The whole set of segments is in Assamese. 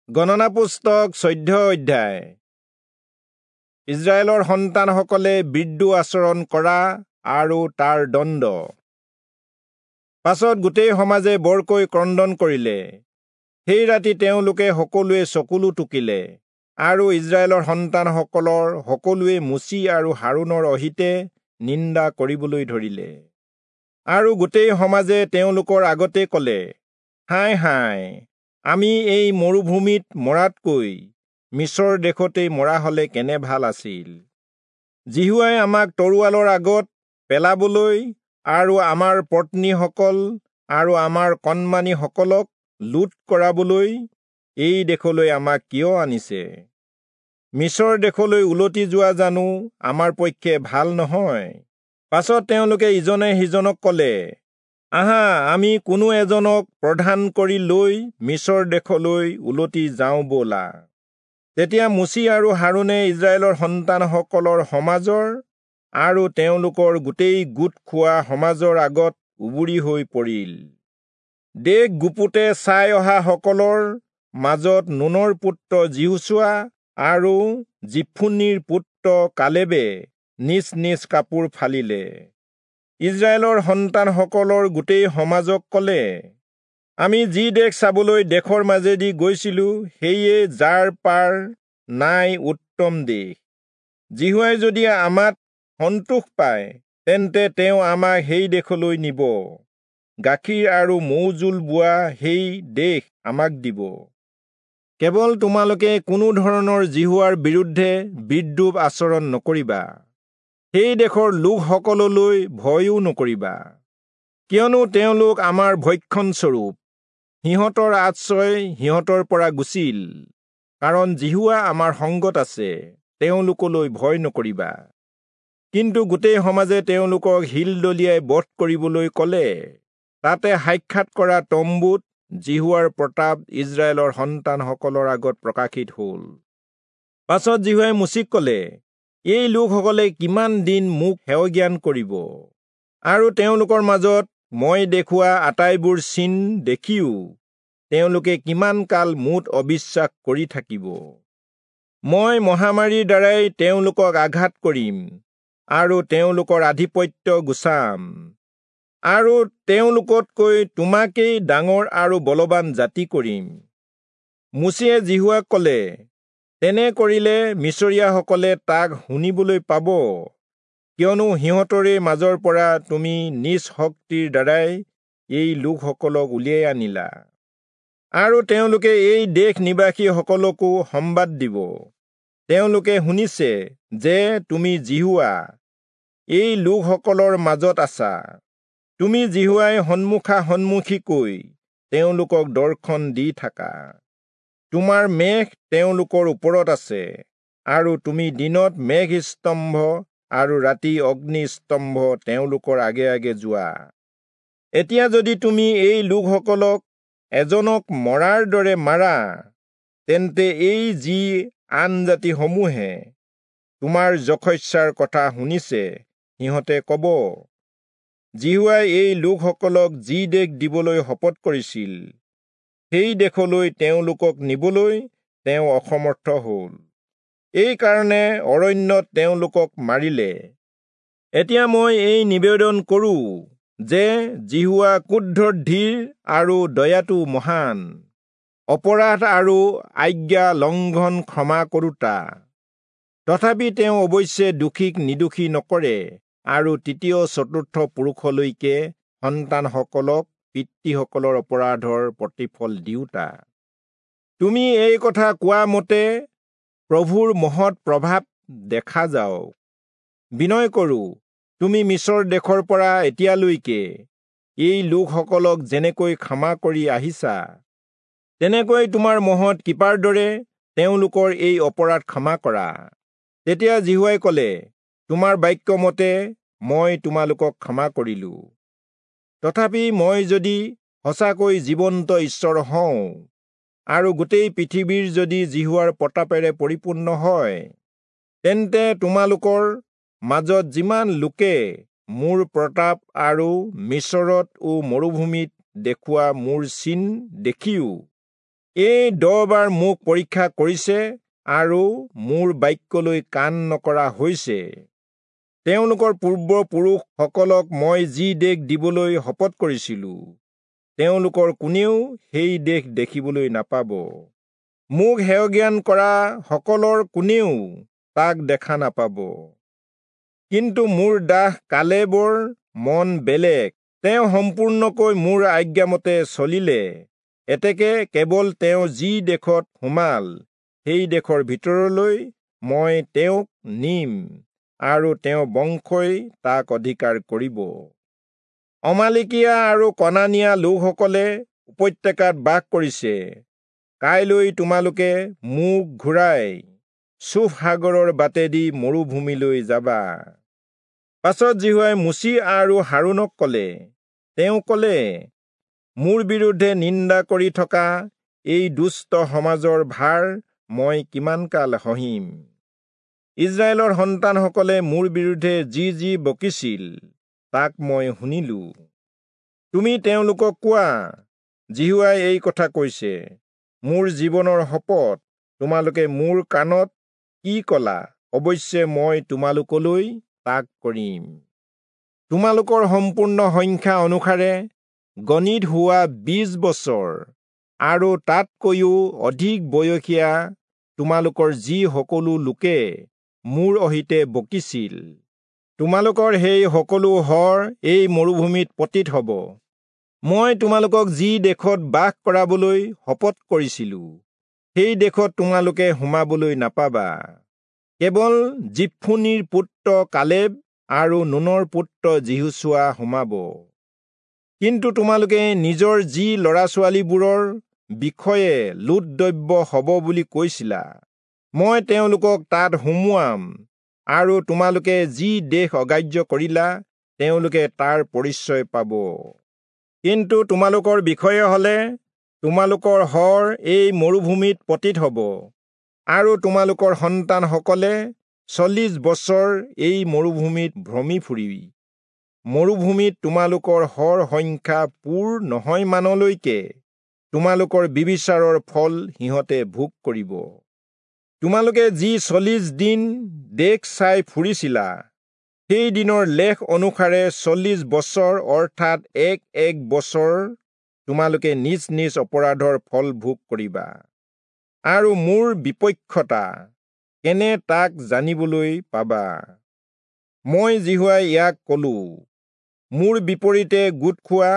গণনা পুস্তক 14 অধ্যায়। ইজৰাইলৰ সন্তানসকলে বিদ্ৰোহ আচৰণ কৰা আৰু তাৰ দণ্ড। পাছত গোটেই সমাজে বৰকৈ ক্ৰন্দন কৰিলে। সেই ৰাতি তেওঁলোকে সকলোৱে চকুলো টুকিলে আৰু ইজৰাইলৰ সন্তানসকলৰ সকলোৱে মোচি আৰু হাৰোণৰ অহিতে নিন্দা কৰিবলৈ ধৰিলে। আৰু গোটেই সমাজে তেওঁলোকৰ আগতে কলে, হায় হায়, আমি এই মৰুভূমিত মৰাতকৈ মিছৰ দেশতেই মৰা হলে কেনে ভাল আছিল। যিহোৱাই আমাক তৰোৱালৰ আগত পেলাবলৈ আৰু আমাৰ পত্নীসকল আৰু আমাৰ কণমানিসকলক লুট কৰাবলৈ এই দেশলৈ আমাক কিয় আনিছে? মিছৰ দেশলৈ উলটি যোৱা জানো আমাৰ পক্ষে ভাল নহয়? পাছত তেওঁলোকে ইজনে সিজনক কলে, আহা, আমি কোনো এজনক প্ৰধান কৰি লৈ মিছৰ দেশলৈ উলটি যাওঁ ব'লা। তেতিয়া মোচি আৰু হাৰোণে ইজৰাইলৰ সন্তানসকলৰ সমাজৰ আৰু তেওঁলোকৰ গোটেই গোট খোৱা সমাজৰ আগত উবুৰি হৈ পৰিল। দেশ গুপুতে চাই অহা সকলৰ মাজত নুনৰ পুত্ৰ যিহোচূৱা আৰু যিফুন্নীৰ পুত্ৰ কালেবে নিজ নিজ কাপোৰ ফালিলে। ইজৰাইলৰ সন্তানসকলৰ গোটেই সমাজক কলে, আমি যি দেশ চাবলৈ দেশৰ মাজেদি গৈছিলো, সেয়ে যাৰ পাৰ নাই উত্তম দেশ। যিহোৱাই যদি আমাত সন্তোষ পায়, তেন্তে তেওঁ আমাক সেই দেশলৈ নিব, গাখীৰ আৰু মৌজোল বোৱা সেই দেশ আমাক দিব। কেৱল তোমালোকে কোনো ধৰণৰ যিহোৱাৰ বিৰুদ্ধে বিদ্ৰূপ আচৰণ নকৰিবা, সেই দেশৰ লোকসকললৈ ভয়ো নকৰিবা, কিয়নো তেওঁলোক আমাৰ ভক্ষণস্বৰূপ। সিহঁতৰ আশ্ৰয় সিহঁতৰ পৰা গুচিল, কাৰণ যিহোৱা আমাৰ সংগত আছে, তেওঁলোকলৈ ভয় নকৰিবা। কিন্তু গোটেই সমাজে তেওঁলোকক শিল দলিয়াই বধ কৰিবলৈ কলে। তাতে সাক্ষাৎ কৰা তম্বুত যিহোৱাৰ প্ৰতাপ ইজৰাইলৰ সন্তানসকলৰ আগত প্ৰকাশিত হল। পাছত যিহোৱাই মোচিক কলে, এই লোকসকলে কিমান দিন মোক হেয়জ্ঞান কৰিব? আৰু তেওঁলোকৰ মাজত মই দেখুওৱা আটাইবোৰ চিন দেখিও তেওঁলোকে কিমান কাল মোত অবিশ্বাস কৰি থাকিব? মই মহামাৰীৰ দ্বাৰাই তেওঁলোকক আঘাত কৰিম আৰু তেওঁলোকৰ আধিপত্য গুচাম, আৰু তেওঁলোকতকৈ তোমাকেই ডাঙৰ আৰু বলৱান জাতি কৰিম। মোচিয়ে যিহোৱাক কলে, তেনে কৰিলে মিছৰীয়াসকলে তাক শুনিবলৈ পাব, কিয়নো সিহঁতৰে মাজৰ পৰা তুমি নিজ শক্তিৰ দ্বাৰাই এই লোকসকলক উলিয়াই আনিলা। আৰু তেওঁলোকে এই দেশ নিবাসীসকলকো সম্বাদ দিব। তেওঁলোকে শুনিছে যে তুমি যিহোৱা এই লোকসকলৰ মাজত আছা। তুমি যিহোৱাই সন্মুখা সন্মুখীকৈ তেওঁলোকক দৰ্শন দি থাকা। তোমাৰ মেঘ তেওঁলোকৰ ওপৰত আছে, আৰু তুমি দিনত মেঘস্তম্ভ আৰু ৰাতি অগ্নিস্তম্ভ তেওঁলোকৰ আগে আগে যোৱা। এতিয়া যদি তুমি এই লোকসকলক এজনক মৰাৰ দৰে মাৰা, তেন্তে এই যি আন জাতিসমূহে তোমাৰ যশস্যাৰ কথা শুনিছে, সিহঁতে কব, যিহোৱাই এই লোকসকলক যি দেশ দিবলৈ শপত কৰিছিল, সেই দেশলৈ তেওঁলোকক নিবলৈ তেওঁ অসমৰ্থ হল, এইকাৰণে অৰণ্যত তেওঁলোকক মাৰিলে। এতিয়া মই এই নিবেদন কৰো যে যিহোৱা ক্ৰোধত ধীৰ আৰু দয়াটো মহান, অপৰাধ আৰু আজ্ঞা লংঘন ক্ষমা কৰোতা। তথাপি তেওঁ অৱশ্যে দোষীক নিৰ্দোষী নকৰে আৰু তৃতীয় চতুৰ্থ পুৰুষলৈকে সন্তানসকলক পিতৃসকলৰ অপৰাধৰ প্ৰতিফল দিওঁতা। তুমি এই কথা কোৱা মতে প্ৰভুৰ মহৎ প্ৰভাৱ দেখা যাওক। বিনয় কৰো, তুমি মিছৰ দেশৰ পৰা এতিয়ালৈকে এই লোকসকলক যেনেকৈ ক্ষমা কৰি আহিছা, তেনেকৈ তোমাৰ মহৎ কৃপাৰ দৰে তেওঁলোকৰ এই অপৰাধ ক্ষমা কৰা। তেতিয়া যিহোৱাই কলে, তোমাৰ বাক্য মতে মই তোমালোকক ক্ষমা কৰিলো। তথাপি মই যদি সঁচাকৈ জীৱন্ত ঈশ্বৰ হওঁ আৰু গোটেই পৃথিৱীৰ যদি যিহোৱাৰ প্ৰতাপেৰে পৰিপূৰ্ণ হয়, তেন্তে তোমালোকৰ মাজত যিমান লোকে মোৰ প্ৰতাপ আৰু মিছৰত ও মৰুভূমিত দেখুওৱা মোৰ চিন দেখিও এই 10 বাৰ মোক পৰীক্ষা কৰিছে আৰু মোৰ বাক্যলৈ কাণ নকৰা হৈছে। তেওঁলোকৰ পূৰ্বপুৰুষসকলক মই যি দেশ দিবলৈ শপত কৰিছিলো, তেওঁলোকৰ কোনেও সেই দেশ দেখিবলৈ নাপাব। মোক হেয়জ্ঞান কৰা সকলৰ কোনেও তাক দেখা নাপাব। কিন্তু মোৰ দাস কালেবৰ মন বেলেগ, তেওঁ সম্পূৰ্ণকৈ মোৰ আজ্ঞামতে চলিলে। এতেকে কেৱল তেওঁ যি দেশত সোমাল, সেই দেশৰ ভিতৰলৈ মই তেওঁক নিম আৰু তেওঁৰ বংশই তাক অধিকাৰ কৰিব। অমালেকীয়া আৰু কনানীয়া লোকসকলে উপত্যকাত বাস কৰিছে। কাইলৈ তোমালোকে মুখ ঘূৰাই চূফ সাগৰৰ বাটেদি মৰুভূমিলৈ যাবা। পাছত যিহোৱাই মোচি আৰু হাৰোণক কলে, তেওঁ কলে, মোৰ বিৰুদ্ধে নিন্দা কৰি থকা এই দুষ্ট সমাজৰ ভাৰ মই কিমান কাল সহিম? ইস্ৰায়েলৰ সন্তানসকলে মোৰ বিৰুদ্ধে যি যি বকিছিল, তাক মই শুনিলো। তুমি তেওঁলোকক কোৱা, যিহোৱাই এই কথা কৈছে, মোৰ জীৱনৰ শপত, তোমালোকে মোৰ কাণত কি কলা, অৱশ্যে মই তোমালোকলৈ তাক কৰিম। তোমালোকৰ সম্পূৰ্ণ সংখ্যা অনুসাৰে গণিত হোৱা 20 বছৰ আৰু তাতকৈও অধিক বয়সীয়া তোমালোকৰ যি সকলো লোকে মোৰ অহিতে বকিছিল, তোমালোকৰ সেই সকলো শৰ এই মৰুভূমিত পতিত হব। মই তোমালোকক যি দেশত বাস কৰাবলৈ শপত কৰিছিলো, সেই দেশত তোমালোকে সোমাবলৈ নাপাবা। কেৱল যিফুন্নিৰ পুত্ৰ কালেব আৰু নুনৰ পুত্ৰ যিহোচূৱা সোমাব। কিন্তু তোমালোকে নিজৰ যি ল'ৰা ছোৱালীবোৰৰ বিষয়ে লুটদ্ৰব্য হ'ব বুলি কৈছিলা, মই তেওঁলোকক তাত সুমুৱাম আৰু তোমালোকে যি দেশ অগ্ৰাহ্য কৰিলা, তেওঁলোকে তাৰ পৰিচয় পাব। কিন্তু তোমালোকৰ বিষয়ে হলে তোমালোকৰ শৰ এই মৰুভূমিত পতিত হ'ব আৰু তোমালোকৰ সন্তানসকলে 40 বছৰ এই মৰুভূমিত ভ্ৰমি ফুৰি মৰুভূমিত তোমালোকৰ শৰ সংখ্যা পূৰ নহয় মানলৈকে তোমালোকৰ ব্যভিচাৰৰ ফল সিহঁতে ভোগ কৰিব। তোমালোকে যি 40 দিন দেশ চাই ফুৰিছিলা, সেই দিনৰ লেখ অনুসাৰে 40 বছৰ অৰ্থাৎ এক এক বছৰ তোমালোকে নিজ নিজ অপৰাধৰ ফল ভোগ কৰিবা আৰু মোৰ বিপক্ষতা কেনে তাক জানিবলৈ পাবা। মই যিহোৱাই ইয়াক কলো। মোৰ বিপৰীতে গোট খোৱা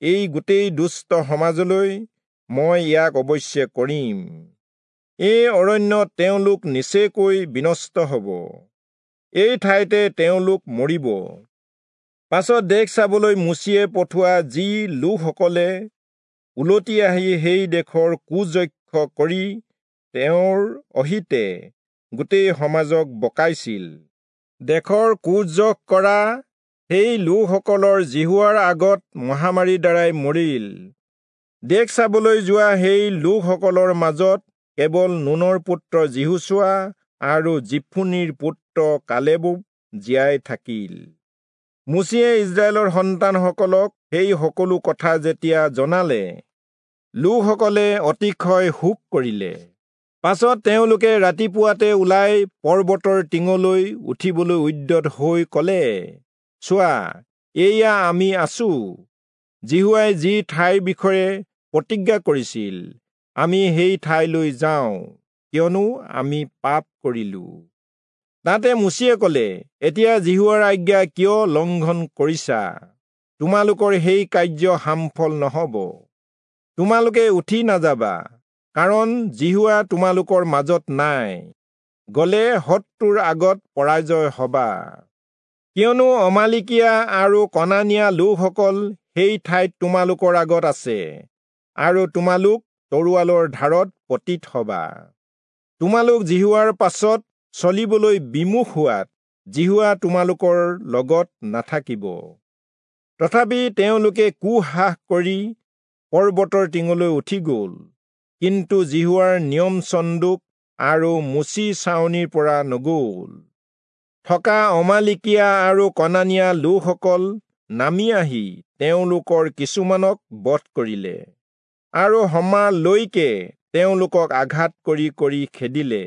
এই গোটেই দুষ্ট সমাজলৈ মই ইয়াক অৱশ্যে কৰিম। এই অৰণ্যত তেওঁলোক নিচেকৈ বিনষ্ট হব, এই ঠাইতে তেওঁলোক মৰিব। পাছত দেশ চাবলৈ মোচিয়ে পঠোৱা যি লোকসকলে উলটি আহি সেই দেশৰ কুযক্ষ কৰি তেওঁৰ অহিতে গোটেই সমাজক বকাইছিল, দেশৰ কুযশ কৰা সেই লোকসকলৰ যিহোৱাৰ আগত মহামাৰীৰ দ্বাৰাই মৰিল। দেশ চাবলৈ যোৱা সেই লোকসকলৰ মাজত কেৱল নুনৰ পুত্ৰ যিহোচূৱা আৰু যিফুন্নিৰ পুত্ৰ কালেবো জীয়াই থাকিল। মোচিয়ে ইস্ৰায়েলৰ সন্তানসকলক সেই সকলো কথা যেতিয়া জনালে, লোকসকলে অতিশয় শোক কৰিলে। পাছত তেওঁলোকে ৰাতিপুৱাতে ওলাই পৰ্বতৰ টিঙলৈ উঠিবলৈ উদ্যত হৈ কলে, চোৱা, এয়া আমি আছো, যিহোৱাই যি ঠাইৰ বিষয়ে প্ৰতিজ্ঞা কৰিছিল, আমি সেই ঠাইলৈ যাওঁ, কিয়নো আমি পাপ কৰিলো। তাতে মোচিয়ে কলে, এতিয়া যিহোৱাৰ আজ্ঞা কিয় লংঘন কৰিছা? তোমালোকৰ সেই কাৰ্য সামফল নহব। তোমালোকে উঠি নাযাবা, কাৰণ যিহোৱা তোমালোকৰ মাজত নাই। গলে শত্ৰুৰ আগত পৰাজয় হবা। কিয়নো অমালিকীয়া আৰু কনানীয়া লোকসকল সেই ঠাইত তোমালোকৰ আগত আছে আৰু তোমালোক তৰোৱালৰ ধাৰত পতিত হবা। তোমালোক যিহোৱাৰ পাছত চলিবলৈ বিমুখ হোৱাত যিহোৱা তোমালোকৰ লগত নাথাকিব। তথাপি তেওঁলোকে কুসাহস কৰি পৰ্বতৰ টিঙলৈ উঠি গল, কিন্তু যিহোৱাৰ নিয়ম চন্দুক আৰু মোচি ছাউনিৰ পৰা নগল। থকা অমালিকীয়া আৰু কনানীয়া লোকসকল নামি আহি তেওঁলোকৰ কিছুমানক বধ কৰিলে আৰু হৰ্মালৈকে তেওঁলোকক আঘাত কৰি কৰি খেদিলে।